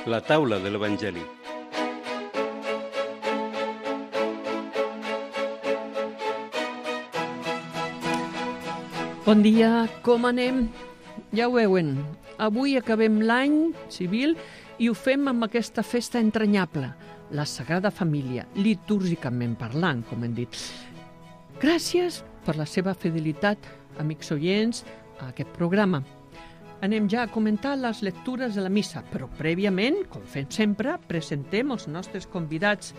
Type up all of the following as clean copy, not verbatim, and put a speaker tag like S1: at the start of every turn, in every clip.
S1: La taula de l'Evangeli.
S2: Bon dia, com anem? Ja ho veuen, avui acabem l'any civil i ho fem amb aquesta festa entranyable, la Sagrada Família, litúrgicament parlant, com hem dit. Gràcies per la seva fidelitat, amics oients, a aquest programa. Anem ja a comentar les lectures de la missa, però prèviament, com fem sempre, presentem els nostres convidats.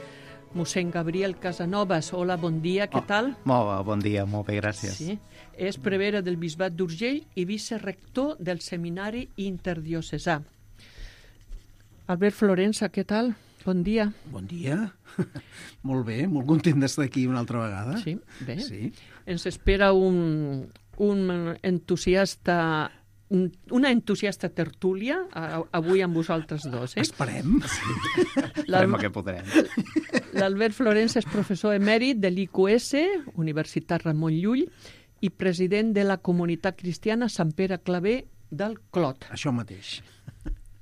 S2: Mossèn Gabriel Casanovas, hola, bon dia, què tal?
S3: Molt bon dia, molt bé, gràcies.
S2: Sí, és prevere del Bisbat d'Urgell i vicerector del Seminari Interdiocesà. Albert Florença, què tal? Bon dia.
S4: Bon dia. Molt bé, molt content d'estar aquí una altra vegada.
S2: Sí, bé.
S4: Sí.
S2: Ens espera un entusiasta... una entusiasta tertúlia avui amb vosaltres dos.
S4: Esperem.
S3: Esperem que podrem.
S2: L'Albert Florença és professor emèrit de l'IQS, Universitat Ramon Llull, i president de la Comunitat Cristiana Sant Pere Claver del Clot.
S4: Això mateix.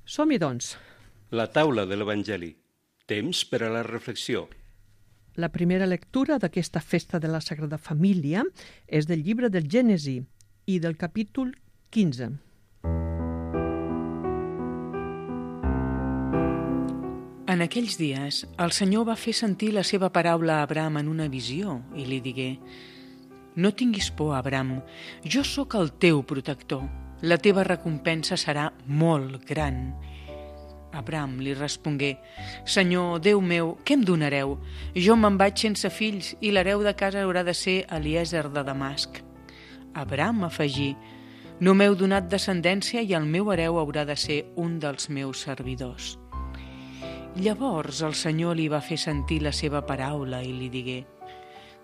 S2: Som-hi, doncs.
S1: La taula de l'Evangeli. Temps per a la reflexió.
S2: La primera lectura d'aquesta festa de la Sagrada Família és del llibre del Gènesi i del capítol 15.
S5: En aquells dies, el Senyor va fer sentir la seva paraula a Abraham en una visió i li digué: «No tinguis por, Abraham, jo sóc el teu protector. La teva recompensa serà molt gran». Abraham li respongué: «Senyor, Déu meu, què em donareu? Jo me'n vaig sense fills i l'hereu de casa haurà de ser Eliezer de Damasc». Abraham afegí: «No m'heu donat descendència i el meu hereu haurà de ser un dels meus servidors». Llavors el Senyor li va fer sentir la seva paraula i li digué: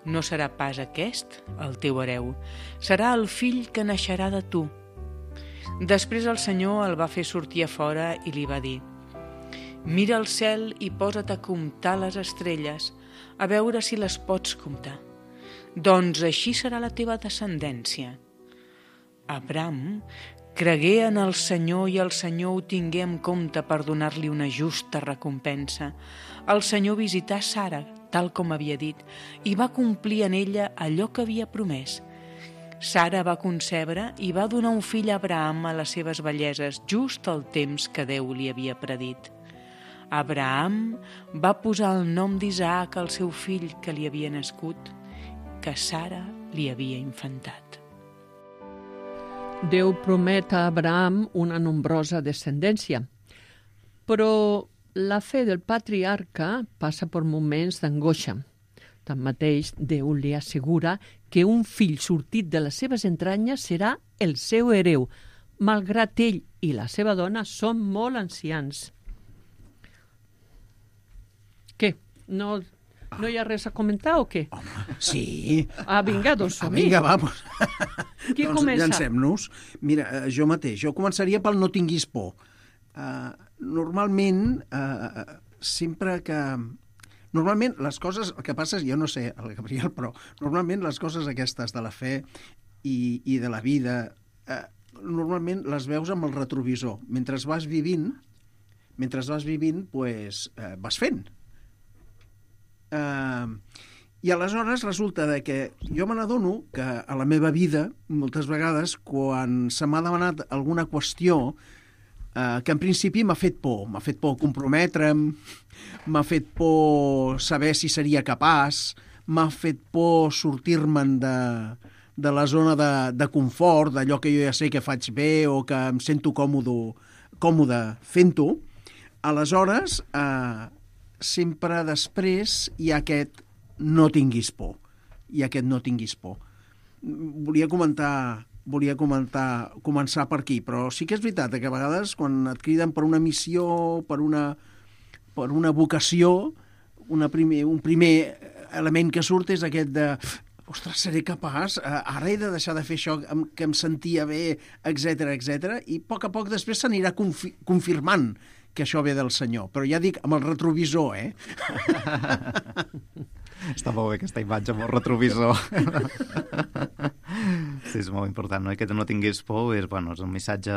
S5: «No serà pas aquest el teu hereu, serà el fill que naixerà de tu». Després el Senyor el va fer sortir a fora i li va dir: «Mira el cel i posa't a comptar les estrelles, a veure si les pots comptar. Doncs així serà la teva descendència». Abraham cregué en el Senyor i el Senyor ho tingué en compte per donar-li una justa recompensa. El Senyor visità Sara, tal com havia dit, i va complir en ella allò que havia promès. Sara va concebre i va donar un fill a Abraham a les seves velleses, just al temps que Déu li havia predit. Abraham va posar el nom d'Isaac al seu fill que li havia nascut, que Sara li havia infantat.
S2: Déu promet a Abraham una nombrosa descendència, però la fe del patriarca passa per moments d'angoixa. Tanmateix, Déu li assegura que un fill sortit de les seves entranyes serà el seu hereu, malgrat ell i la seva dona són molt ancians. Què? No hi ha res a comentar o què?
S4: Home, sí.
S2: Vinga, doncs som-hi.
S4: Vinga, vamos.
S2: Qui
S4: doncs
S2: comença?
S4: llancem-nos. Mira, jo mateix. Jo començaria pel no tinguis por. Normalment, sempre que... Normalment, les coses... El que passa és, jo no sé, el Gabriel, però normalment les coses aquestes de la fe i de la vida, normalment les veus amb el retrovisor. Mentre vas vivint, pues, vas fent. I aleshores resulta que jo me n'adono que a la meva vida, moltes vegades, quan se m'ha demanat alguna qüestió que en principi m'ha fet por comprometre'm, m'ha fet por saber si seria capaç, m'ha fet por sortir-me'n de la zona de confort, d'allò que jo ja sé que faig bé o que em sento còmode fent-ho. Aleshores, sempre després hi ha aquest no tinguis por. Volia començar per aquí, però sí que és veritat que a vegades quan et criden per una missió, per una vocació, un primer element que surt és aquest de ostres, seré capaç, ara he de deixar de fer això que em sentia bé, etc. I a poc després s'anirà confirmant que això ve del Senyor. Però ja dic, amb el retrovisor,
S3: Està molt bé aquesta imatge amb el retrovisor. Sí, és molt important, no? I que no tinguis por és un missatge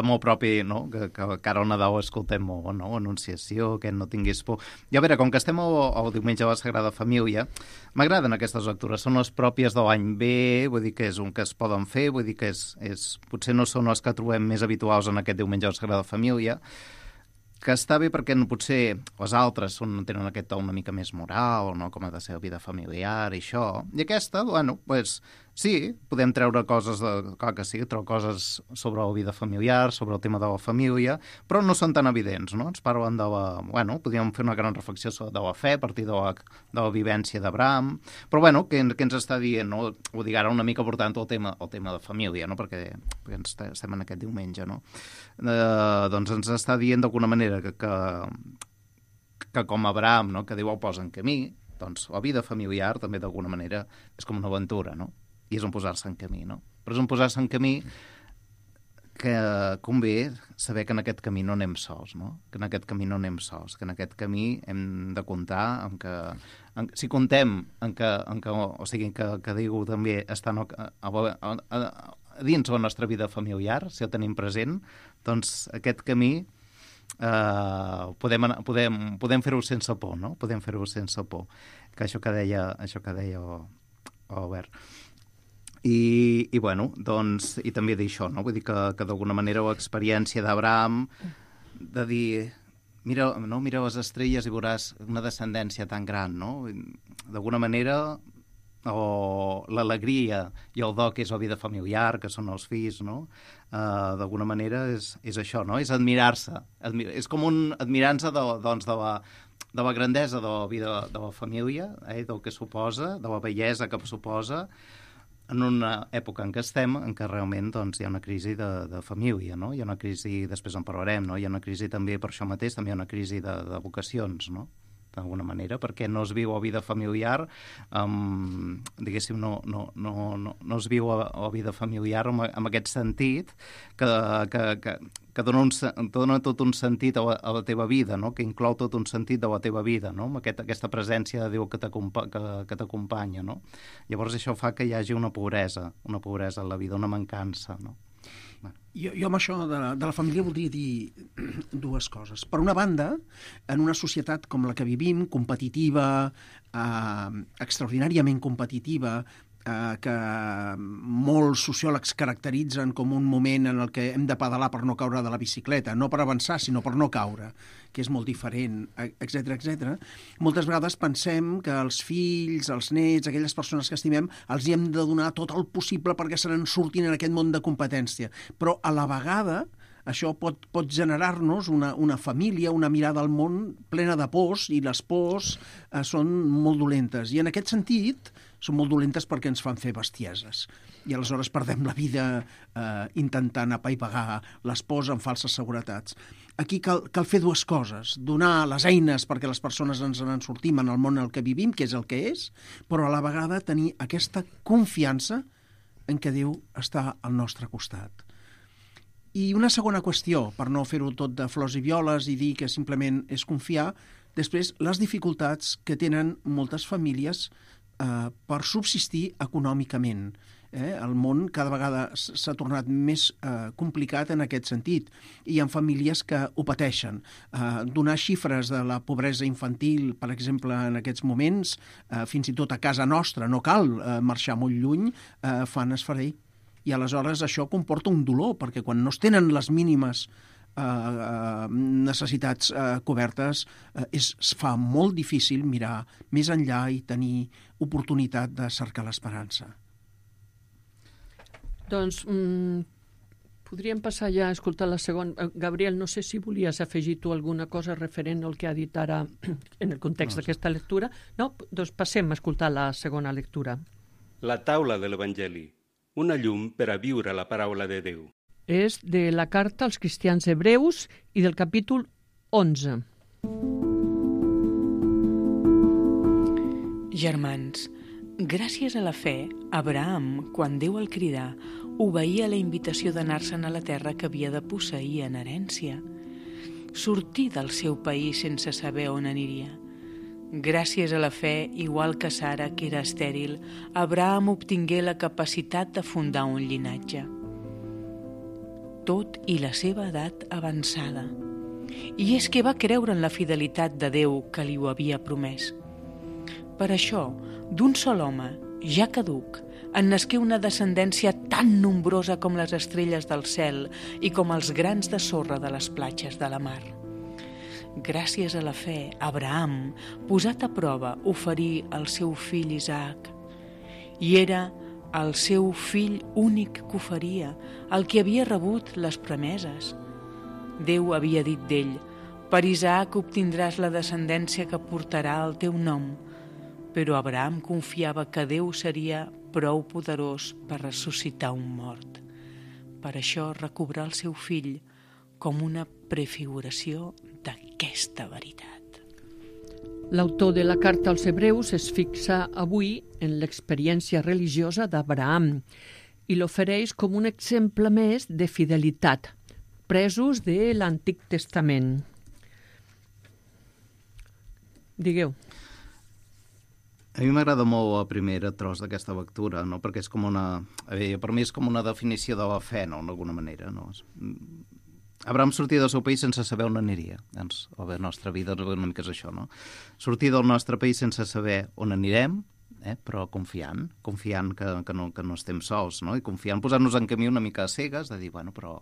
S3: molt propi, no? Que cara al Nadal escoltem molt, no? Anunciació, que no tinguis por. I a veure, com que estem al diumenge de la Sagrada Família, m'agraden aquestes lectures, són les pròpies de l'any B, vull dir que és un que es poden fer, vull dir que potser no són les que trobem més habituals en aquest diumenge de la Sagrada Família, que està bé perquè potser les altres tenen aquest to una mica més moral, no? Com ha de ser la vida familiar i això. I aquesta, bueno, pues, sí, podem treure coses, clar que sí, treure coses sobre la vida familiar, sobre el tema de la família, però no són tan evidents, no? Ens parlen de la... Bueno, podríem fer una gran reflexió de la fe a partir de la vivència d'Abraham, però bueno, què ens està dient, no? Ho dic ara una mica portant el tema de família, no? Perquè estem en aquest diumenge, no? Doncs ens està dient d'alguna manera que com Abraham, no? Que Déu el posa en camí, doncs la vida familiar també d'alguna manera és com una aventura, no? I és un posar-se en camí, no? Però és un posar-se en camí que convé saber que en aquest camí no anem sols, no? Que en aquest camí no anem sols, que en aquest camí hem de comptar amb que... si contem en que o sigui, que Déu també està dins la nostra vida familiar, si el tenim present, doncs aquest camí podem fer-ho sense por, no? Podem fer-ho sense por. Que això que deia Albert. I bueno, doncs, i també dir això, no? Vull dir que d'alguna manera l'experiència d'Abraham de dir, mira les estrelles i veuràs una descendència tan gran, no? D'alguna manera, o l'alegria i el do que és la vida familiar, que són els fills, no? D'alguna manera és això, no? És admirar-se. És com admirar-se de la grandesa de la vida de la família, del que suposa, de la bellesa que suposa, en una època en què estem, en què realment doncs, hi ha una crisi de família, no? Hi ha una crisi, després en parlarem, no? Hi ha una crisi també, per això mateix, també hi ha una crisi de vocacions, no? D'alguna manera, perquè no es viu la vida familiar, diguéssim, no es viu la vida familiar amb aquest sentit que dona tot un sentit a la teva vida, no? Que inclou tot un sentit de la teva vida, no? Amb aquesta presència de Déu que t'acompanya, no? Llavors això fa que hi hagi una pobresa en la vida, una mancança, no?
S4: Jo amb això de la família voldria dir dues coses. Per una banda, en una societat com la que vivim, competitiva, extraordinàriament competitiva, que molts sociòlegs caracteritzen com un moment en el que hem de pedalar per no caure de la bicicleta, no per avançar, sinó per no caure, que és molt diferent, etc. Moltes vegades pensem que els fills, els nets, aquelles persones que estimem, els hi hem de donar tot el possible perquè se n'en surtin en aquest món de competència. Però a la vegada això pot generar-nos una família, una mirada al món plena de pors, i les pors són molt dolentes. I en aquest sentit són molt dolentes perquè ens fan fer bestieses. I aleshores perdem la vida intentant apaivagar les pors amb falses seguretats. Aquí cal fer dues coses. Donar les eines perquè les persones ens en sortim en el món en el que vivim, que és el que és, però a la vegada tenir aquesta confiança en què Déu està al nostre costat. I una segona qüestió, per no fer-ho tot de flors i violes i dir que simplement és confiar, després les dificultats que tenen moltes famílies per subsistir econòmicament. El món cada vegada s'ha tornat més complicat en aquest sentit, i hi ha famílies que ho pateixen. Donar xifres de la pobresa infantil, per exemple, en aquests moments, fins i tot a casa nostra, no cal marxar molt lluny, fan esfereir. I aleshores això comporta un dolor, perquè quan no es tenen les mínimes necessitats cobertes, es fa molt difícil mirar més enllà i tenir oportunitat de cercar l'esperança.
S2: Doncs podríem passar ja a escoltar la segona. Gabriel, no sé si volies afegir tu alguna cosa referent al que ha dit ara en el context d'aquesta lectura. No? Doncs passem a escoltar la segona lectura.
S1: La taula de l'Evangeli, una llum per a viure la paraula de Déu.
S2: És de la carta als cristians hebreus i del capítol 11.
S5: Germans, gràcies a la fe, Abraham, quan Déu el cridà, obeïa la invitació d'anar-se'n a la terra que havia de posseir en herència. Sortir del seu país sense saber on aniria. Gràcies a la fe, igual que Sara, que era estèril, Abraham obtingué la capacitat de fundar un llinatge. tot i la seva edat avançada. I és que va creure en la fidelitat de Déu que li ho havia promès. Per això, d'un sol home, ja caduc, en nasqué una descendència tan nombrosa com les estrelles del cel i com els grans de sorra de les platges de la mar. Gràcies a la fe, Abraham, posat a prova, oferí el seu fill Isaac. I era el seu fill únic que oferia, el que havia rebut les promeses. Déu havia dit d'ell: per Isaac obtindràs la descendència que portarà el teu nom. Però Abraham confiava que Déu seria prou poderós per ressuscitar un mort. Per això recobrà el seu fill com una prefiguració d'aquesta veritat.
S2: L'autor de la carta als Hebreus es fixa avui en l'experiència religiosa d'Abraham i l'ofereix com un exemple més de fidelitat, presos de l'Antic Testament. Digueu.
S3: A mi m'agrada molt el primer tros d'aquesta lectura, no? Perquè és com una... per mi és com una definició de la fe, no? D'alguna manera, no? Abraham sortia del seu país sense saber on aniria. Doncs, la nostra vida una mica és això, no? Sortir del nostre país sense saber on anirem, però confiant que no estem sols, no? I confiant, posar-nos en camí una mica a cegues, de dir, bueno, però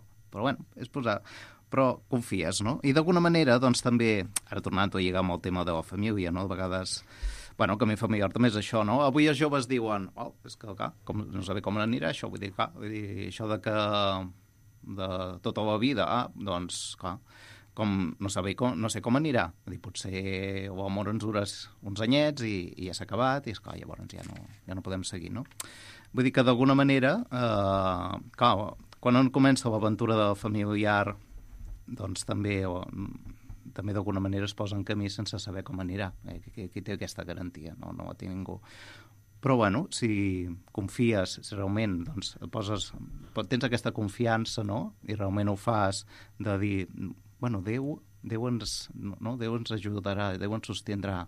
S3: és posar... Però confies, no? I d'alguna manera, doncs, també, ara tornant a lligar amb el tema de la família, no? De vegades... Bueno, el camí familiar també és això, no? Avui els joves diuen, és que, clar, no saber com anirà això, vull dir, això de que de tota la vida, doncs, clar, com no sé com anirà. Vull dir, potser l'amor ens dura uns anyets i ja s'ha acabat i, esclar, llavors ja no podem seguir, no? Vull dir que d'alguna manera, clar, quan on comença l'aventura de familiar, doncs també d'alguna manera es posa en camí sense saber com anirà. Qui té aquesta garantia? No la té ningú. Però, bueno, si confies, si realment doncs, tens aquesta confiança, no? I realment ho fas de dir, bueno, Déu ens ajudarà, Déu ens sostindrà,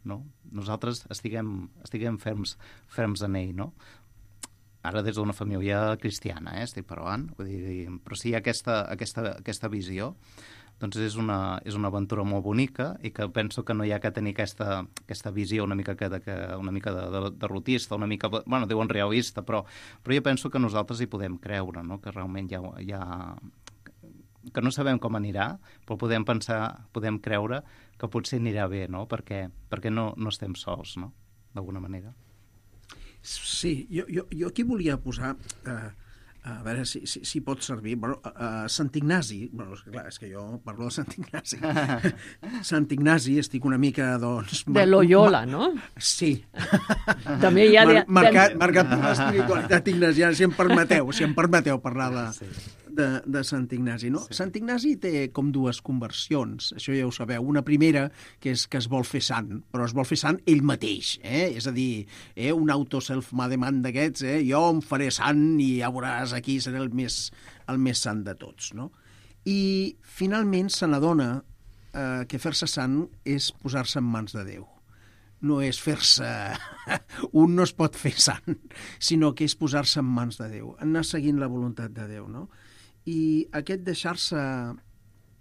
S3: no? Nosaltres estiguem ferms en ell, no? Ara des d'una família cristiana, estic parlant, vull dir, però si hi ha aquesta visió, doncs és una aventura molt bonica i que penso que no hi ha que tenir aquesta visió una mica de derrotista, una mica, bueno, diuen realista, però jo penso que nosaltres hi podem creure, no? Que realment hi ha que no sabem com anirà, però podem creure que potser anirà bé, no? Perquè no estem sols, no? D'alguna manera.
S4: Sí, jo aquí volia posar... a veure si pot servir. Bueno, Sant Ignasi, bueno, clar, és que jo parlo de Sant Ignasi. Sant Ignasi, estic una mica, doncs...
S2: De Loyola, no?
S4: Sí.
S2: També hi ha...
S4: Marcat per l'espiritualitat ignasiana, si em permeteu parlar de Sant Ignasi, no? Sí. Sant Ignasi té com dues conversions, això ja ho sabeu. Una primera, que és que es vol fer sant, però es vol fer sant ell mateix, és a dir, un auto-self-made man d'aquests, jo em faré sant i ja veuràs, aquí seré el més sant de tots, no? I finalment se n'adona que fer-se sant és posar-se en mans de Déu. No és fer-se... Un no es pot fer sant, sinó que és posar-se en mans de Déu, anar seguint la voluntat de Déu, no? I aquest deixar-se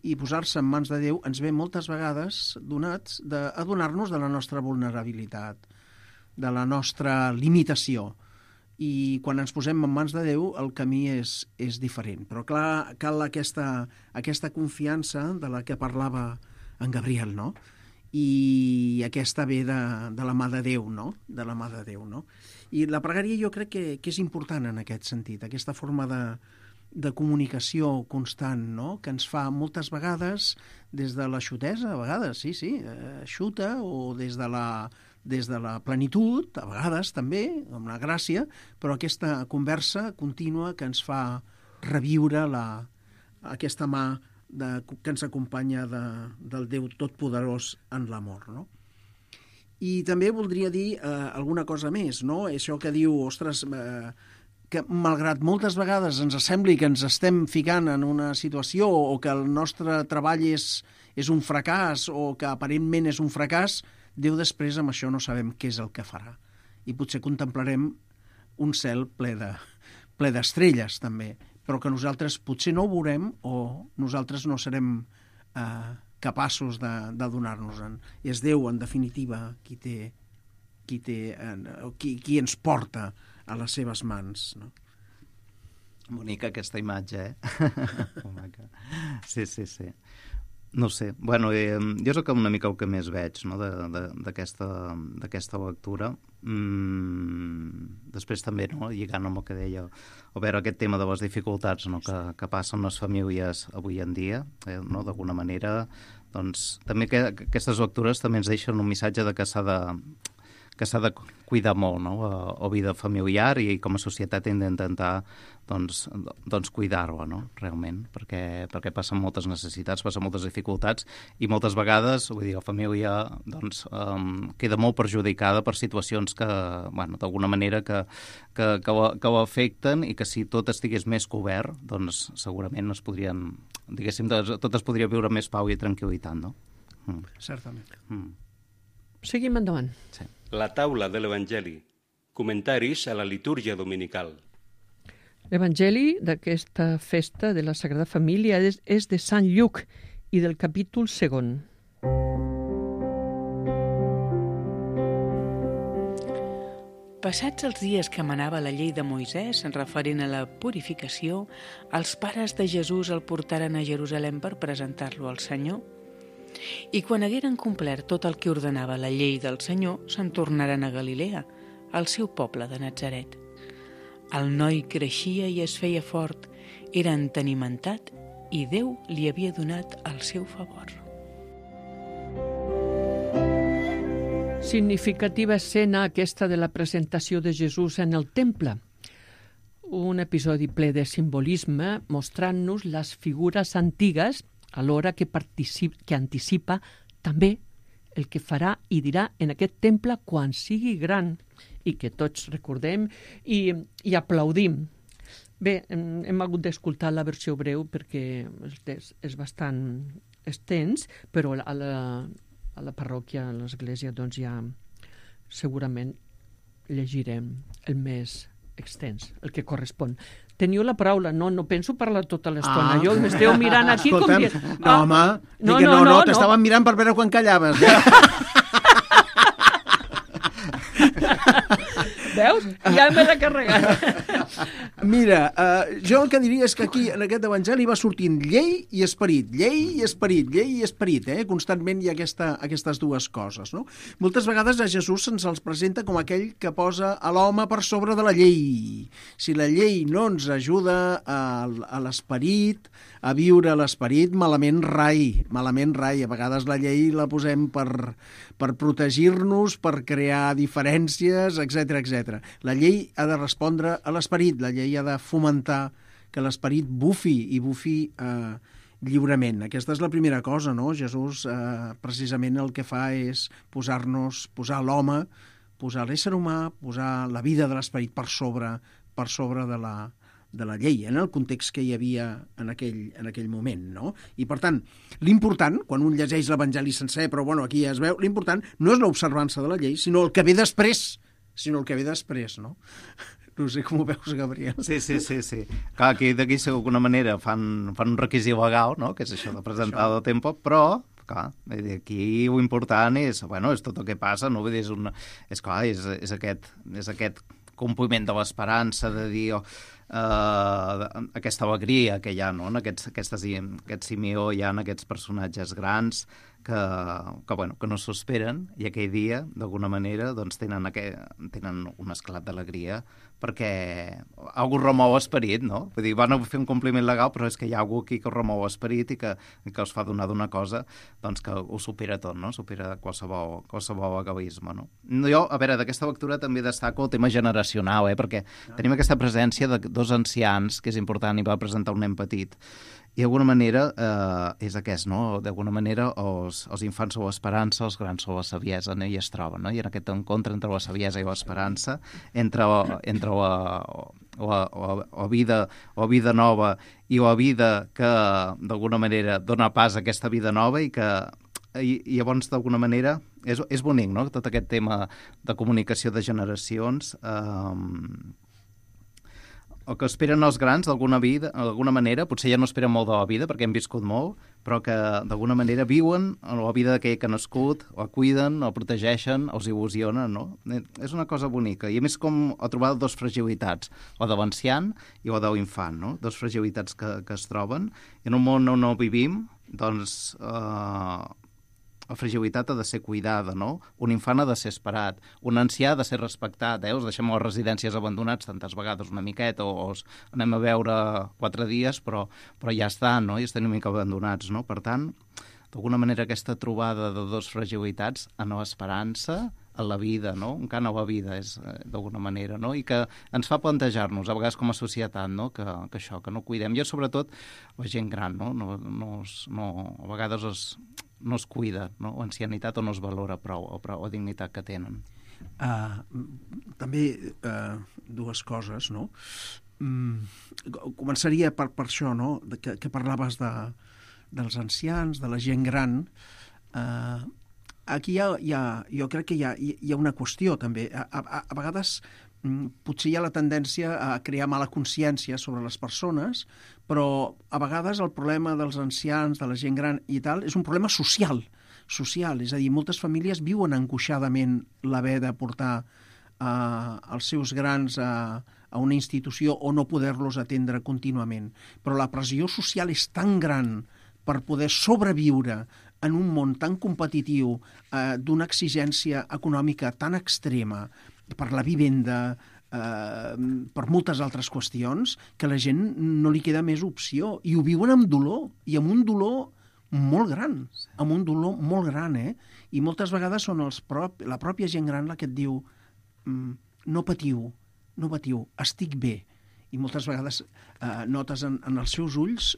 S4: i posar-se en mans de Déu ens ve moltes vegades donats d'adonar-nos de la nostra vulnerabilitat, de la nostra limitació. I quan ens posem en mans de Déu el camí és diferent. Però clar, cal aquesta confiança de la que parlava en Gabriel, no? I aquesta ve de la mà de Déu, no? De la mà de Déu, no? I la pregària jo crec que és important en aquest sentit, aquesta forma de comunicació constant, no? Que ens fa moltes vegades des de la xutesa, a vegades, sí, xuta, o des de la plenitud, a vegades també, amb la gràcia, però aquesta conversa contínua que ens fa reviure aquesta mà que ens acompanya del Déu Totpoderós en l'amor, no? I també voldria dir alguna cosa més, no? Això que diu, ostres, que malgrat moltes vegades ens sembli que ens estem ficant en una situació o que el nostre treball és un fracàs o que aparentment és un fracàs, Déu després amb això no sabem què és el que farà. I potser contemplarem un cel ple d'estrelles també, però que nosaltres potser no ho veurem o nosaltres no serem capaços de donar-nos-en. És Déu, en definitiva, qui ens porta a les seves mans, no?
S3: Bonica aquesta imatge, Sí. No sé, bueno, jo és una mica el que més veig, no?, d'aquesta lectura. Després també, no?, lligant amb el que deia, o veure aquest tema de les dificultats, no?, que passen les famílies avui en dia, no?, d'alguna manera, doncs també aquestes lectures també ens deixen un missatge de que s'ha de cuidar molt, no?, la vida familiar, i com a societat hem d'intentar doncs cuidar-la, no?, realment, perquè passen moltes necessitats, passen moltes dificultats, i moltes vegades, vull dir, la família doncs queda molt perjudicada per situacions que, bueno, d'alguna manera que l'afecten, i que si tot estigués més cobert, doncs segurament es podrien, diguéssim, tot es podria viure més pau i tranquil·litat, no?
S4: Certament.
S2: Seguim endavant.
S3: Sí.
S1: La taula de l'Evangeli. Comentaris a la litúrgia dominical.
S2: L'Evangeli d'aquesta festa de la Sagrada Família és de Sant Lluc i del capítol 2.
S5: Passats els dies que manava la llei de Moisès referent a la purificació, els pares de Jesús el portaren a Jerusalem per presentar-lo al Senyor. I quan hagueren complert tot el que ordenava la llei del Senyor, se'n tornaren a Galilea, al seu poble de Natzaret. El noi creixia i es feia fort, era entenimentat i Déu li havia donat el seu favor.
S2: Significativa escena aquesta de la presentació de Jesús en el temple. Un episodi ple de simbolisme mostrant-nos les figures antigues alhora que anticipa també el que farà i dirà en aquest temple quan sigui gran i que tots recordem i aplaudim. Bé, hem hagut d'escoltar la versió breu perquè és bastant extens, però a la parròquia, a l'església, doncs ja segurament llegirem el més extens, el que correspon. Teniu la paraula. No penso parlar tota l'estona. Jo m'esteu mirant aquí com que...
S4: No, home, no, t'estaven mirant per veure quan callaves.
S2: Veus? Ja me l'he carregat.
S4: Mira, jo el que diria és que aquí, en aquest evangeli, va sortint llei i esperit, llei i esperit, constantment hi ha aquestes dues coses, no? Moltes vegades a Jesús se'ns els presenta com aquell que posa a l'home per sobre de la llei. Si la llei no ens ajuda a l'esperit, a viure l'esperit, malament rai. A vegades la llei la posem per protegir-nos, per crear diferències, etc. La llei ha de respondre a l'esperit, la llei ha de fomentar que l'esperit bufi lliurement. Aquesta és la primera cosa, no? Jesús precisament el que fa és posar l'home, posar l'ésser humà, posar la vida de l'esperit per sobre de la llei, en el context que hi havia en aquell moment, no? I, per tant, l'important, quan un llegeix l'Evangeli sencer, però bueno, aquí ja es veu, l'important no és l'observança de la llei, sinó el que ve després, no? No sé com ho veus, Gabriel.
S3: Sí. Clar, aquí d'alguna manera fan un requisit legal, no?, que és això de presentar el tempo, però clar, aquí l'important és tot el que passa, no? Vull dir, és aquest compliment de l'esperança, de dir aquesta alegria que hi ha, no?, en aquest Simeó, hi ha en aquests personatges grans que no s'ho esperen, i aquell dia, d'alguna manera, doncs tenen un esclat d'alegria perquè algú remou l'esperit, no? Vull dir, van fer un compliment legal, però és que hi ha algú aquí que remou l'esperit i que els fa donar d'una cosa doncs que ho supera tot, no? Supera qualsevol egoisme, no? Jo, a veure, d'aquesta lectura també destaco el tema generacional, perquè tenim aquesta presència de dos ancians, que és important, i va presentar un nen petit. I d'alguna manera és aquest, no? D'alguna manera els infants són l'esperança, els grans són la saviesa, no? I es troben, no? I en aquest encontre entre la saviesa i l'esperança, entre la vida nova i la vida que d'alguna manera dona pas a aquesta vida nova i llavors d'alguna manera és bonic, no? Tot aquest tema de comunicació de generacions o que esperen els grans d'alguna manera, potser ja no esperen molt de la vida perquè hem viscut molt, però que d'alguna manera viuen la vida d'aquell que ha nascut, o cuiden, o protegeixen, o els il·lusionen, no? És una cosa bonica. I a més com ho trobar dues fragilitats, o de l'ancian i o de l'infant, no? Dues fragilitats que es troben. I en un món on no vivim, doncs la fragilitat ha de ser cuidada, no? Un infant ha de ser esperat, un ancià ha de ser respectat, els deixem a les residències abandonats tantes vegades una miqueta, o els anem a veure 4 dies, però ja estan, no? I estan una mica abandonats, no? Per tant, d'alguna manera aquesta trobada de dues fragilitats en l'esperança, en la vida, no? Un cant a la vida és d'alguna manera, no? I que ens fa plantejar-nos, a vegades com a societat, no? Que això, que no cuidem. I sobretot la gent gran, no? A vegades no es cuida, no? O ancianitat o no es valora prou, o dignitat que tenen.
S4: També dues coses, no? Començaria per això, no? Que parlaves dels ancians, de la gent gran. Aquí jo crec que hi ha una qüestió també. A vegades potser hi ha la tendència a crear mala consciència sobre les persones, però a vegades el problema dels ancians, de la gent gran i tal, és un problema social. És a dir, moltes famílies viuen angoixadament l'haver de portar els seus grans a una institució o no poder-los atendre contínuament. Però la pressió social és tan gran per poder sobreviure en un món tan competitiu, d'una exigència econòmica tan extrema, per la vivenda, per moltes altres qüestions, que la gent no li queda més opció. I ho viuen amb dolor, i amb un dolor molt gran, I moltes vegades són la pròpia gent gran la que et diu no patiu, estic bé. I moltes vegades notes en els seus ulls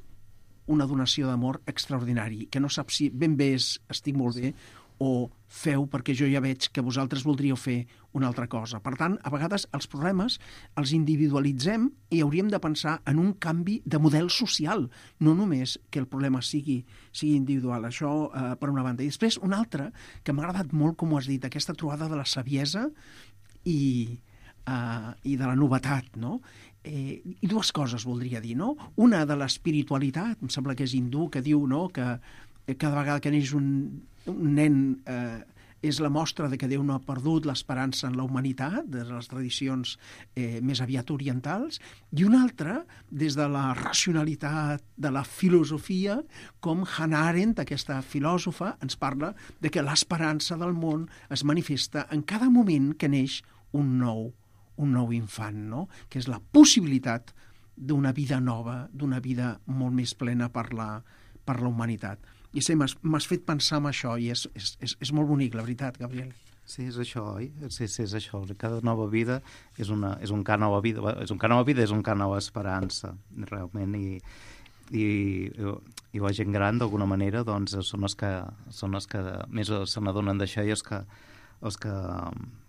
S4: una donació d'amor extraordinari, que no saps si ben bé estic molt bé o feu perquè jo ja veig que vosaltres voldríeu fer una altra cosa. Per tant, a vegades els problemes els individualitzem i hauríem de pensar en un canvi de model social, no només que el problema sigui individual. Això per una banda. I després una altra, que m'ha agradat molt, com ho has dit, aquesta trobada de la saviesa i de la novetat, no? I dues coses voldria dir, no? Una de l'espiritualitat, em sembla que és hindú, que diu, no?, que cada vegada que neix un nen és la mostra de que Déu no ha perdut l'esperança en la humanitat, de les tradicions més aviat orientals, i una altra, des de la racionalitat de la filosofia, com Hannah Arendt, aquesta filòsofa, ens parla de que l'esperança del món es manifesta en cada moment que neix un nou infant, no? Que és la possibilitat d'una vida nova, d'una vida molt més plena per la humanitat. I sí, m'has fet pensar en això i és molt bonic, la veritat, Gabriel.
S3: Sí, és això, oi? Sí, és això. Cada nova vida és un cant a la vida, és un cant a la vida, és un cant a l'esperança, realment, i la gent gran, d'alguna manera, doncs, són els que més se n'adonen d'això i els que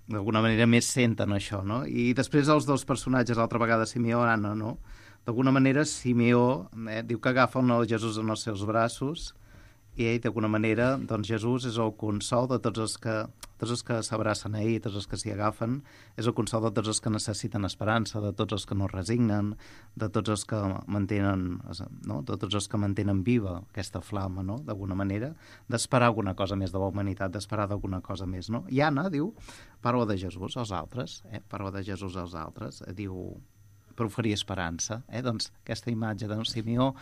S3: d'alguna manera més senten això, no? I després els dos personatges, l'altra vegada Simeó i Anna, no? D'alguna manera Simeó diu que agafa el Jesús en els seus braços i ell, d'alguna manera, doncs Jesús és el consol de tots els que s'abracen a ell, tots els que s'hi agafen, és el consol de tots els que necessiten esperança, de tots els que no resignen, de tots els que mantenen, no?, de tots els que mantenen viva aquesta flama, no?, d'alguna manera, d'esperar alguna cosa més de la humanitat, d'esperar d'alguna cosa més, no? I Anna diu, parla de Jesús als altres, diu, per oferir esperança, doncs aquesta imatge de Simeó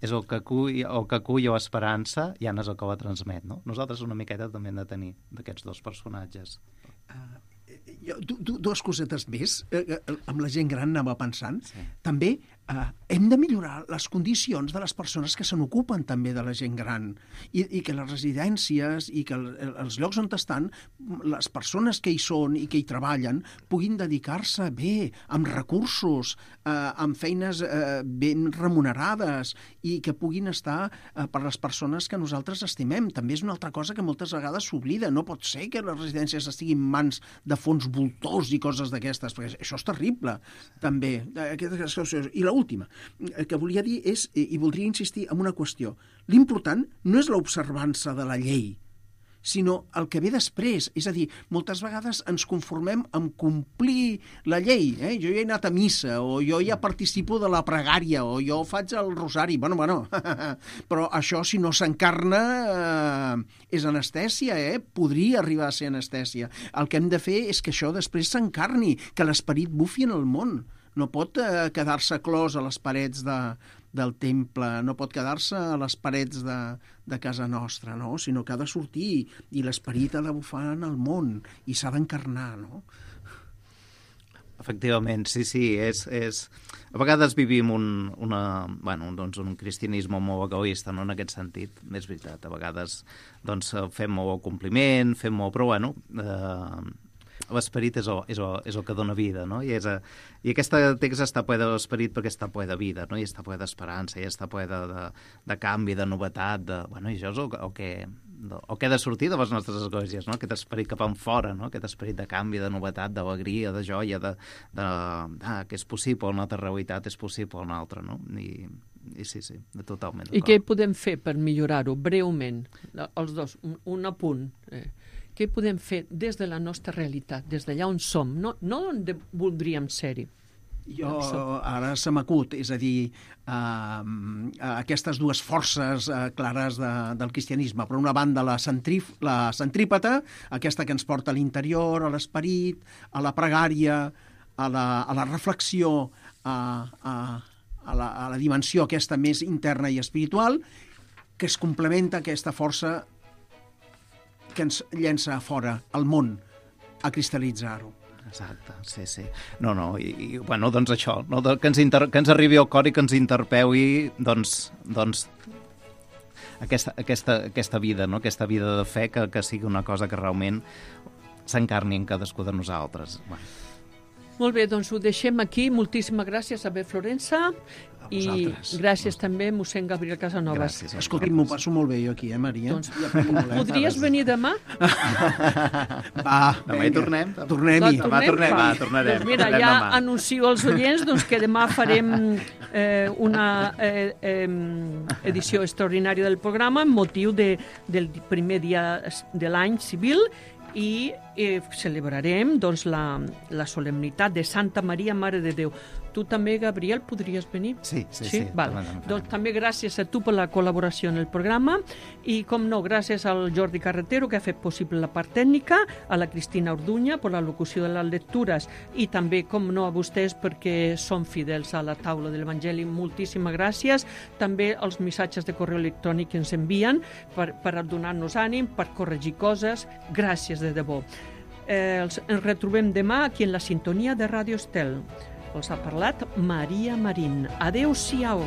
S3: és el que acull l'esperança i Anna és el que la transmet, no? Nosaltres una miqueta també hem de tenir d'aquests dos personatges.
S4: Dues cosetes més. Amb la gent gran anava pensant. Sí. També hem de millorar les condicions de les persones que se n'ocupen també de la gent gran i que les residències i que els llocs on estan, les persones que hi són i que hi treballen puguin dedicar-se bé, amb recursos, amb feines ben remunerades i que puguin estar per les persones que nosaltres estimem. També és una altra cosa que moltes vegades s'oblida. No pot ser que les residències estiguin en mans de fons voltors i coses d'aquestes, perquè això és terrible, també. I l'última que volia dir és, i voldria insistir en una qüestió, l'important no és l'observança de la llei, sinó el que ve després. És a dir, moltes vegades ens conformem amb complir la llei. Jo ja he anat a missa, o jo ja participo de la pregària, o jo faig el rosari. Bueno, però això, si no s'encarna, és anestèsia, Podria arribar a ser anestèsia. El que hem de fer és que això després s'encarni, que l'esperit bufi en el món. No pot quedar-se clos a les parets del temple, no pot quedar-se a les parets de casa nostra, no? Sinó que ha de sortir i l'esperit ha de bufar en el món i s'ha d'encarnar, no?
S3: Efectivament, sí, és... A vegades vivim un cristianisme molt egoista, no?, en aquest sentit, és veritat. A vegades fem molt compliment, però l'esperit és el que dona vida, no? I aquest text està ple de l'esperit perquè està ple de vida, no? I està ple d'esperança, i està ple de canvi, de novetat, i això és el que ha de sortir de les nostres esglésies, no? Aquest esperit cap enfora, no? Aquest esperit de canvi, de novetat, d'alegria, de joia, que és possible una altra realitat, és possible una altra, no? I sí, totalment.
S2: I què podem fer per millorar-ho, breument, els dos, un apunt? Què podem fer des de la nostra realitat, des d'allà on som, no on voldríem ser-hi?
S4: Jo ara se m'acut, és a dir, aquestes dues forces clares del cristianisme. Per una banda, la centrípeta, aquesta que ens porta a l'interior, a l'esperit, a la pregària, a la reflexió, a la dimensió aquesta més interna i espiritual, que es complementa aquesta força que ens llença a fora, al món, a cristal·litzar-ho.
S3: Exacte, sí. Doncs això, no? Que ens arribi al cor i que ens interpeui, aquesta vida, no? Aquesta vida de fe que sigui una cosa que realment s'encarni en cadascú de nosaltres.
S2: Molt bé, doncs ho deixem aquí. Moltíssimes gràcies a Florença i gràcies també a mossèn Gabriel Casanovas.
S3: Gràcies.
S4: Escolti, m'ho passo molt bé jo aquí, Maria?
S2: Doncs podries venir demà?
S3: Demà hi tornem.
S4: Tornem-hi.
S3: Tornarem.
S2: Doncs mira, ja anuncio als oients que demà farem una edició extraordinària del programa amb motiu del primer dia de l'any civil i celebrarem la solemnitat de Santa Maria, Mare de Déu. Tu també, Gabriel, podries venir?
S3: Sí.
S2: Doncs també gràcies a tu per la col·laboració en el programa i, com no, gràcies al Jordi Carretero, que ha fet possible la part tècnica, a la Cristina Orduña per la locució de les lectures i també, com no, a vostès perquè són fidels a la taula de l'Evangeli. Moltíssimes gràcies. També els missatges de correu electrònic que ens envien per donar-nos ànim, per corregir coses. Gràcies de debò. Ens retrobem demà aquí en la sintonia de Ràdio Estel. Els ha parlat Maria Marín. Adéu-siau.